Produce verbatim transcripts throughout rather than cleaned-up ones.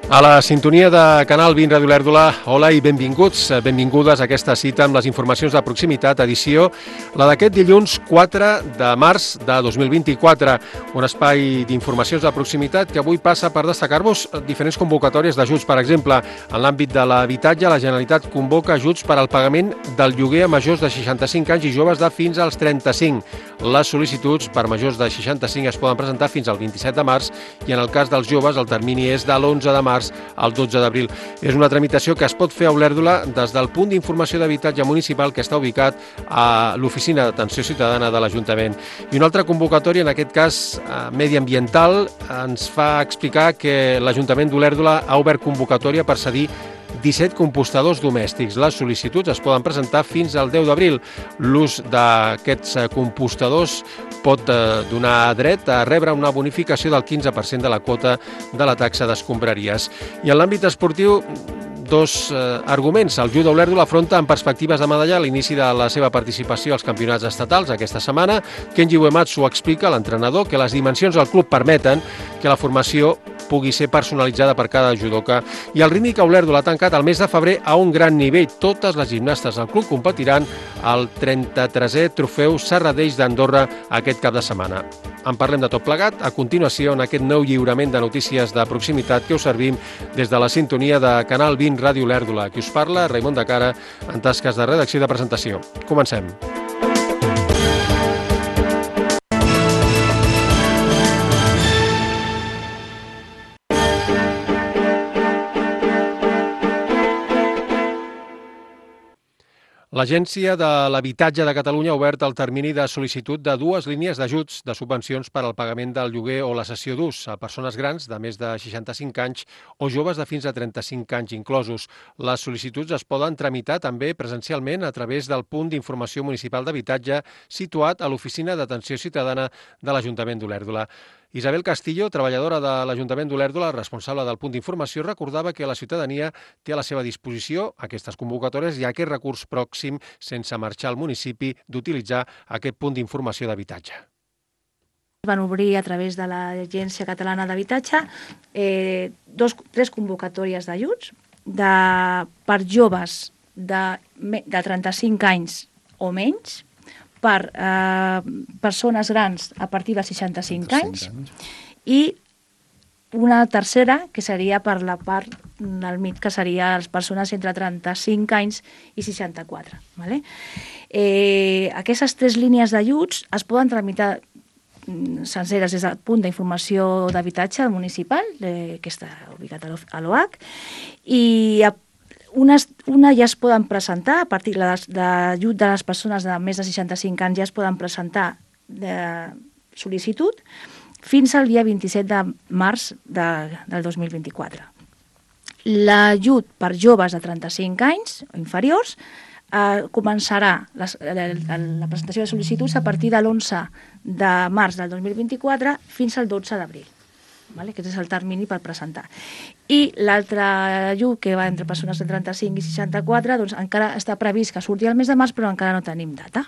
A la sintonia de Canal vint Ràdio Olèrdola, hola i benvinguts, benvingudes a aquesta cita amb les informacions de proximitat, edició, la d'aquest dilluns quatre de març de dos mil vint-i-quatre, un espai d'informacions de proximitat que avui passa per destacar-vos diferents convocatòries d'ajuts. Per exemple, en l'àmbit de l'habitatge, la Generalitat convoca ajuts per al pagament del lloguer a majors de seixanta-cinc anys i joves de fins als trenta-cinc. Les sol·licituds per majors de seixanta-cinc es poden presentar fins al vint-i-set de març i en el cas dels joves el termini és de l'onze de març al dotze d'abril. És una tramitació que es pot fer a Olèrdola des del punt d'informació d'habitatge municipal que està ubicat a l'Oficina d'Atenció Ciutadana de l'Ajuntament. I una altra convocatòria, en aquest cas mediambiental, ens fa explicar que l'Ajuntament d'Olèrdola ha obert convocatòria per cedir disset compostadors domèstics. Les sol·licituds es poden presentar fins al deu d'abril. L'ús d'aquests compostadors pot donar dret a rebre una bonificació del quinze per cent de la quota de la taxa d'escombraries. I en l'àmbit esportiu, dos eh, arguments. El Judo Olèrdola afronta amb perspectives de medalla l'inici de la seva participació als campionats estatals aquesta setmana. Kenji Uematsu explica, l'entrenador, que les dimensions del club permeten que la formació pugui ser personalitzada per cada judoka. I el Rítmica Olèrdola ha tancat el mes de febrer a un gran nivell. Totes les gimnastes del club competiran al trenta-tresè Trofeu Serradeix d'Andorra aquest cap de setmana. En parlem de tot plegat a continuació en aquest nou lliurament de notícies de proximitat que us servim des de la sintonia de Canal vint Ràdio Olèrdola. Qui us parla, Raimon de Cara, en tasques de redacció i de presentació. Comencem. L'Agència de l'Habitatge de Catalunya ha obert el termini de sol·licitud de dues línies d'ajuts de subvencions per al pagament del lloguer o la cessió d'ús a persones grans de més de seixanta-cinc anys o joves de fins a trenta-cinc anys inclosos. Les sol·licituds es poden tramitar també presencialment a través del punt d'informació municipal d'habitatge situat a l'Oficina d'Atenció Ciutadana de l'Ajuntament d'Olèrdola. Isabel Castillo, treballadora de l'Ajuntament d'Olèrdola, responsable del punt d'informació, recordava que la ciutadania té a la seva disposició aquestes convocatòries i aquest recurs pròxim sense marxar al municipi d'utilitzar aquest punt d'informació d'habitatge. Van obrir a través de l'Agència Catalana d'Habitatge eh, dos, tres convocatòries d'ajuts de, per joves de, de trenta-cinc anys o menys, per eh, persones grans a partir de seixanta-cinc anys i una tercera que seria per la part del mig, que seria les persones entre trenta-cinc anys i seixanta-quatre. Vale? Eh, aquestes tres línies d'ajuts es poden tramitar senceres des del punt d'informació d'habitatge municipal, eh, que està ubicat a l'O H, i a Una, una ja es poden presentar, a partir de l'ajut de les persones de més de seixanta-cinc anys ja es poden presentar de sol·licitud fins al dia vint-i-set de març de, del dos mil vint-i-quatre. L'ajut per joves de trenta-cinc anys o inferiors eh, començarà les, la, la presentació de sol·licituds a partir de l'onze de març del dos mil vint-i-quatre fins al dotze d'abril. Vale? Aquest és el termini per presentar. I l'altre ajut, que va entre persones de trenta-cinc i seixanta-quatre, doncs encara està previst que surti el mes de març, però encara no tenim data.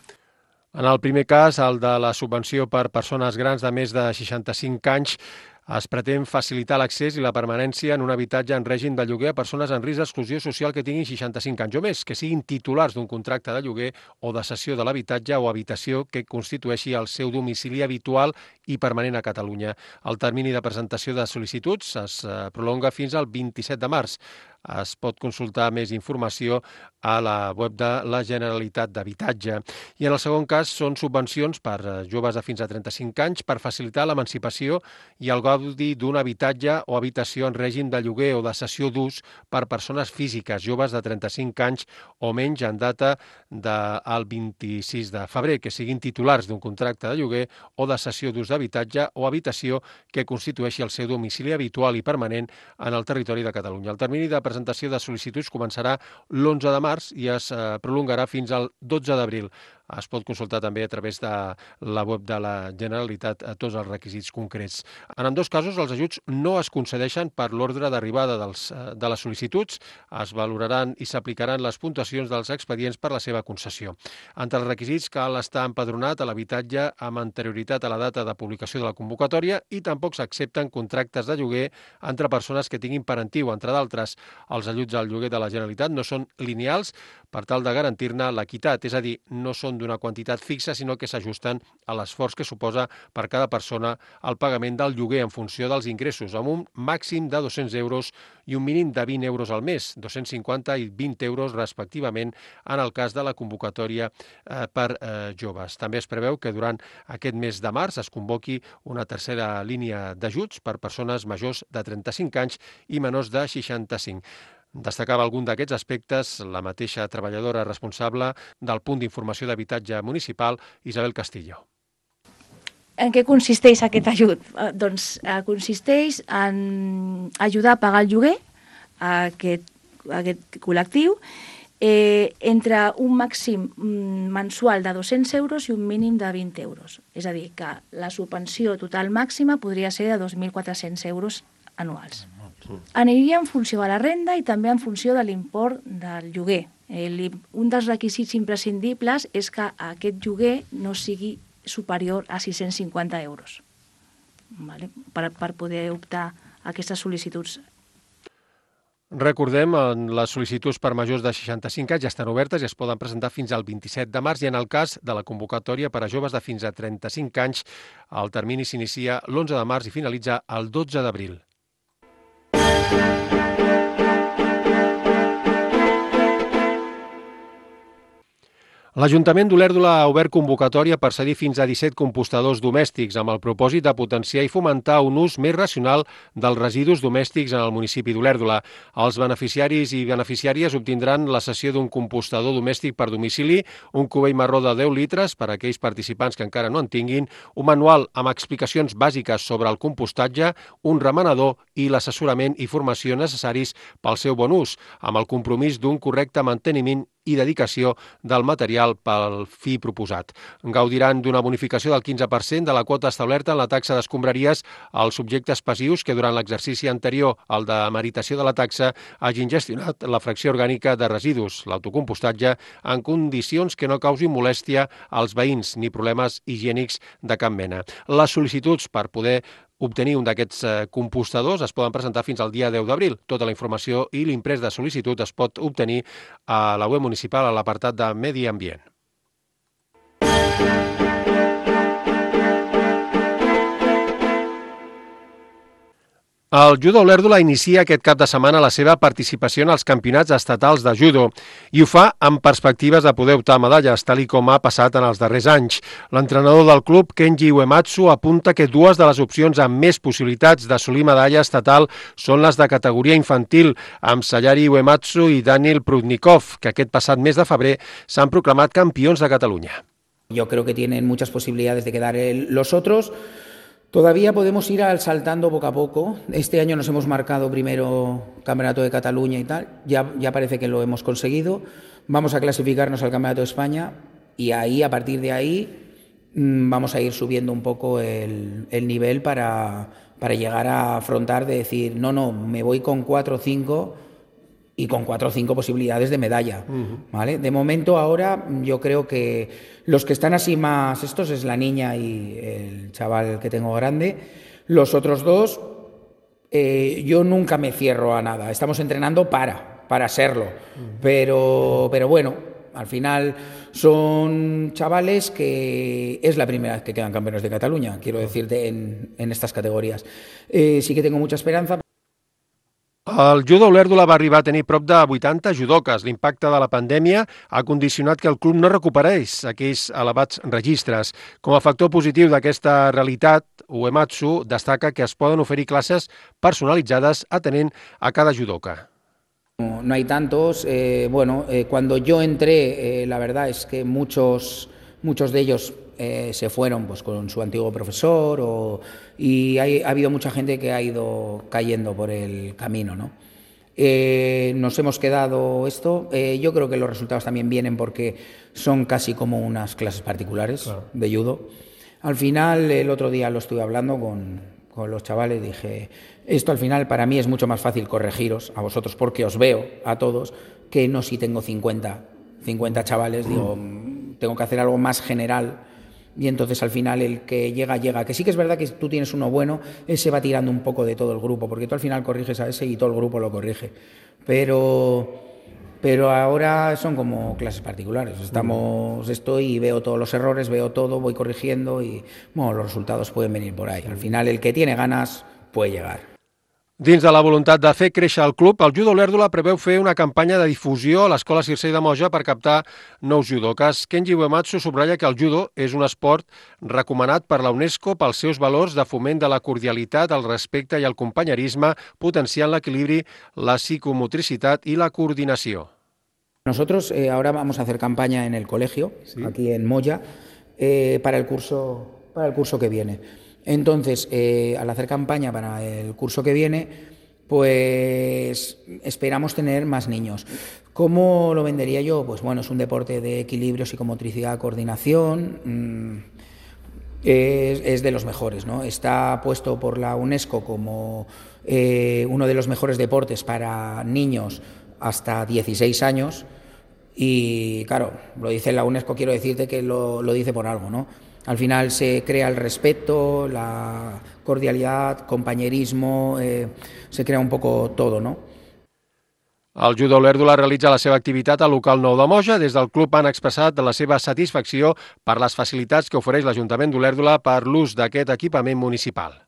En el primer cas, el de la subvenció per persones grans de més de seixanta-cinc anys, es pretén facilitar l'accés i la permanència en un habitatge en règim de lloguer a persones en risc d'exclusió social que tinguin seixanta-cinc anys o més, que siguin titulars d'un contracte de lloguer o de cessió de l'habitatge o habitació que constitueixi el seu domicili habitual i permanent a Catalunya. El termini de presentació de sol·licituds es prolonga fins al vint-i-set de març. Es pot consultar més informació a la web de la Generalitat d'Habitatge. I en el segon cas són subvencions per joves de fins a trenta-cinc anys per facilitar l'emancipació i el gaudi d'un habitatge o habitació en règim de lloguer o de cessió d'ús per persones físiques joves de trenta-cinc anys o menys en data del vint-i-sis de febrer, que siguin titulars d'un contracte de lloguer o de cessió d'ús d'habitatge o habitació que constitueixi el seu domicili habitual i permanent en el territori de Catalunya. El termini de presentació de sol·licituds començarà l'onze de març i es prolongarà fins al dotze d'abril. es pot consultar també a través de la web de la Generalitat a tots els requisits concrets. En ambdós casos, els ajuts no es concedeixen per l'ordre d'arribada dels, de les sol·licituds, es valoraran i s'aplicaran les puntuacions dels expedients per la seva concessió. Entre els requisits cal estar empadronat a l'habitatge amb anterioritat a la data de publicació de la convocatòria i tampoc s'accepten contractes de lloguer entre persones que tinguin parentiu, entre d'altres. Els ajuts al lloguer de la Generalitat no són lineals per tal de garantir-ne l'equitat, és a dir, no són d'una quantitat fixa, sinó que s'ajusten a l'esforç que suposa per cada persona el pagament del lloguer en funció dels ingressos, amb un màxim de dos-cents euros i un mínim de vint euros al mes, dos-cents cinquanta i vint euros respectivament en el cas de la convocatòria eh, per eh, joves. També es preveu que durant aquest mes de març es convoqui una tercera línia d'ajuts per persones majors de trenta-cinc anys i menors de seixanta-cinc. Destacava algun d'aquests aspectes la mateixa treballadora responsable del punt d'informació d'habitatge municipal, Isabel Castillo. En què consisteix aquest ajut? Eh, doncs eh, consisteix en ajudar a pagar el lloguer a aquest, a aquest col·lectiu eh, entre un màxim mensual de dos-cents euros i un mínim de vint euros. És a dir, que la subvenció total màxima podria ser de dos mil quatre-cents euros anuals. Aniria en funció de la renda i també en funció de l'import del lloguer. El, un dels requisits imprescindibles és que aquest lloguer no sigui superior a sis-cents cinquanta euros, vale? per, per poder optar a aquestes sol·licituds. Recordem, les sol·licituds per majors de seixanta-cinc anys ja estan obertes i es poden presentar fins al vint-i-set de març i en el cas de la convocatòria per a joves de fins a trenta-cinc anys, el termini s'inicia l'onze de març i finalitza el dotze d'abril. L'Ajuntament d'Olèrdola ha obert convocatòria per cedir fins a disset compostadors domèstics amb el propòsit de potenciar i fomentar un ús més racional dels residus domèstics en el municipi d'Olèrdola. Els beneficiaris i beneficiàries obtindran la cessió d'un compostador domèstic per domicili, un cubell marró de deu litres per a aquells participants que encara no en tinguin, un manual amb explicacions bàsiques sobre el compostatge, un remenador i l'assessorament i formació necessaris pel seu bon ús, amb el compromís d'un correcte manteniment i dedicació del material pel fi proposat. Gaudiran d'una bonificació del quinze per cent de la quota establerta en la taxa d'escombraries als subjectes passius que durant l'exercici anterior al de meritació de la taxa hagin gestionat la fracció orgànica de residus, l'autocompostatge, en condicions que no causin molèstia als veïns ni problemes higiènics de cap mena. Les sol·licituds per poder obtenir un d'aquests compostadors es poden presentar fins al dia deu d'abril. Tota la informació i l'imprès de sol·licitud es pot obtenir a la web municipal a l'apartat de Medi Ambient. El Judo Olèrdola inicia aquest cap de setmana la seva participació en els campionats estatals de judo i ho fa amb perspectives de poder optar a medalles, tal i com ha passat en els darrers anys. L'entrenador del club, Kenji Uematsu, apunta que dues de les opcions amb més possibilitats d'assolir medalla estatal són les de categoria infantil, amb Sayari Uematsu i Daniel Prudnikov, que aquest passat mes de febrer s'han proclamat campions de Catalunya. Yo creo que tienen muchas posibilidades de quedar el, los otros. Todavía podemos ir al saltando poco a poco. Este año nos hemos marcado primero Campeonato de Cataluña y tal. Ya, ya parece que lo hemos conseguido. Vamos a clasificarnos al Campeonato de España y ahí, a partir de ahí, vamos a ir subiendo un poco el, el nivel para, para llegar a afrontar de decir, no, no, me voy con cuatro o cinco y con cuatro o cinco posibilidades de medalla, uh-huh. ¿Vale? De momento ahora yo creo que los que están así más estos es la niña y el chaval que tengo grande. Los otros dos, eh, yo nunca me cierro a nada. Estamos entrenando para, para serlo. Uh-huh. Pero, pero bueno, al final son chavales que es la primera vez que quedan campeones de Cataluña, quiero decirte, en, en estas categorías. Eh, sí que tengo mucha esperanza. El Judo Olèrdola va arribar a tenir prop de vuitanta judoques. L'impacte de la pandèmia ha condicionat que el club no recuperés aquells elevats registres. Com a factor positiu d'aquesta realitat, Uematsu destaca que es poden oferir classes personalitzades atenent a cada judoka. No, no hay tantos. Eh, bueno, eh, cuando yo entré, eh, la verdad es que muchos, muchos de ellos Eh, se fueron pues con su antiguo profesor o, y hay, ha habido mucha gente que ha ido cayendo por el camino, ¿no? Eh, nos hemos quedado esto. Eh, yo creo que los resultados también vienen porque son casi como unas clases particulares claro. de judo. Al final, el otro día lo estuve hablando con, con los chavales, dije, esto al final para mí es mucho más fácil corregiros a vosotros porque os veo a todos que no si tengo cincuenta, cincuenta chavales, digo, tengo que hacer algo más general. Y entonces al final el que llega, llega. Que sí que es verdad que tú tienes uno bueno, ese va tirando un poco de todo el grupo, porque tú al final corriges a ese y todo el grupo lo corrige. Pero, pero ahora son como clases particulares. Estamos, estoy y veo todos los errores, veo todo, voy corrigiendo y bueno, los resultados pueden venir por ahí. Al final el que tiene ganas puede llegar. Dins de la voluntat de fer créixer el club, el Judo Olèrdola preveu fer una campanya de difusió a l'Escola Circei de Moja per captar nous judokas. Kenji Uematsu subratlla que el judo és un esport recomanat per la UNESCO pels seus valors de foment de la cordialitat, el respecte i el companyerisme, potenciant l'equilibri, la psicomotricitat i la coordinació. Nosotros eh, ahora vamos a hacer campaña en el colegio, ¿sí? Aquí en Moya, eh, para el curso, para el curso que viene. Entonces, eh, al hacer campaña para el curso que viene, pues esperamos tener más niños. ¿Cómo lo vendería yo? Pues bueno, es un deporte de equilibrio, psicomotricidad, coordinación, mmm, es, es de los mejores, ¿no? Está puesto por la UNESCO como eh, uno de los mejores deportes para niños hasta dieciséis años y claro, lo dice la UNESCO, quiero decirte que lo, lo dice por algo, ¿no? Al final se crea el respeto, la cordialidad, compañerismo, eh, se crea un poco todo, ¿no? El Judo Olèrdola realitza la seva activitat al local nou de Moja. Des del club han expressat la seva satisfacció per les facilitats que ofereix l'Ajuntament d'Olèrdola per l'ús d'aquest equipament municipal.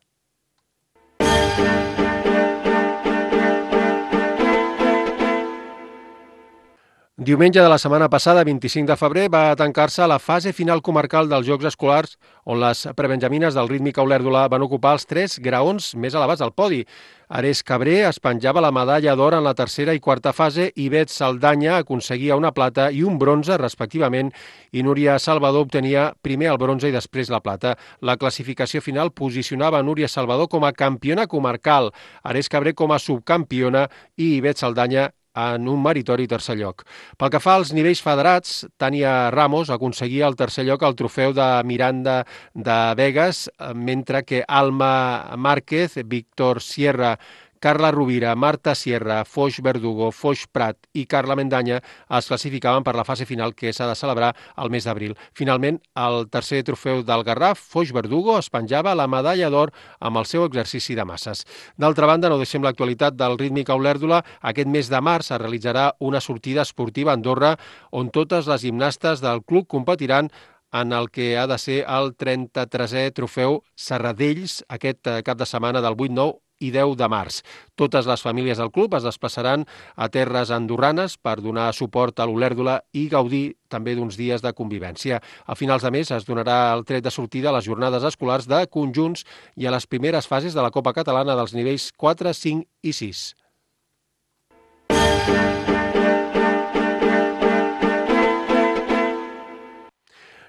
Diumenge de la setmana passada, vint-i-cinc de febrer, va tancar-se la fase final comarcal dels Jocs Escolars, on les prebenjamines del Rítmica Olèrdola van ocupar els tres graons més elevats del podi. Ares Cabré es penjava la medalla d'or en la tercera i quarta fase, i Bet Saldanya aconseguia una plata i un bronze, respectivament, i Núria Salvador obtenia primer el bronze i després la plata. La classificació final posicionava Núria Salvador com a campiona comarcal, Ares Cabré com a subcampiona i Bet Saldanya en un meritori tercer lloc. Pel que fa als nivells federats, Tània Ramos aconseguia el tercer lloc al trofeu de Miranda de Vegas, mentre que Alma Márquez, Víctor Sierra, Carla Rovira, Marta Sierra, Foix Verdugo, Foix Prat i Carla Mendanya es classificaven per la fase final que s'ha de celebrar al mes d'abril. Finalment, el tercer trofeu del Garraf, Foix Verdugo, es penjava la medalla d'or amb el seu exercici de masses. D'altra banda, no deixem l'actualitat del Rítmica Olèrdola. Aquest mes de març es realitzarà una sortida esportiva a Andorra on totes les gimnastes del club competiran en el que ha de ser el trenta-tresè trofeu Serradells aquest cap de setmana del vuit, nou i deu de març. Totes les famílies del club es desplaçaran a terres andorranes per donar suport a l'Olèrdola i gaudir també d'uns dies de convivència. A finals de mes es donarà el tret de sortida a les jornades escolars de conjunts i a les primeres fases de la Copa Catalana dels nivells quatre, cinc i sis.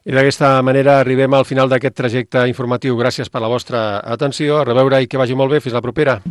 I d'aquesta manera arribem al final d'aquest trajecte informatiu. Gràcies per la vostra atenció. A reveure i que vagi molt bé. Fins la propera.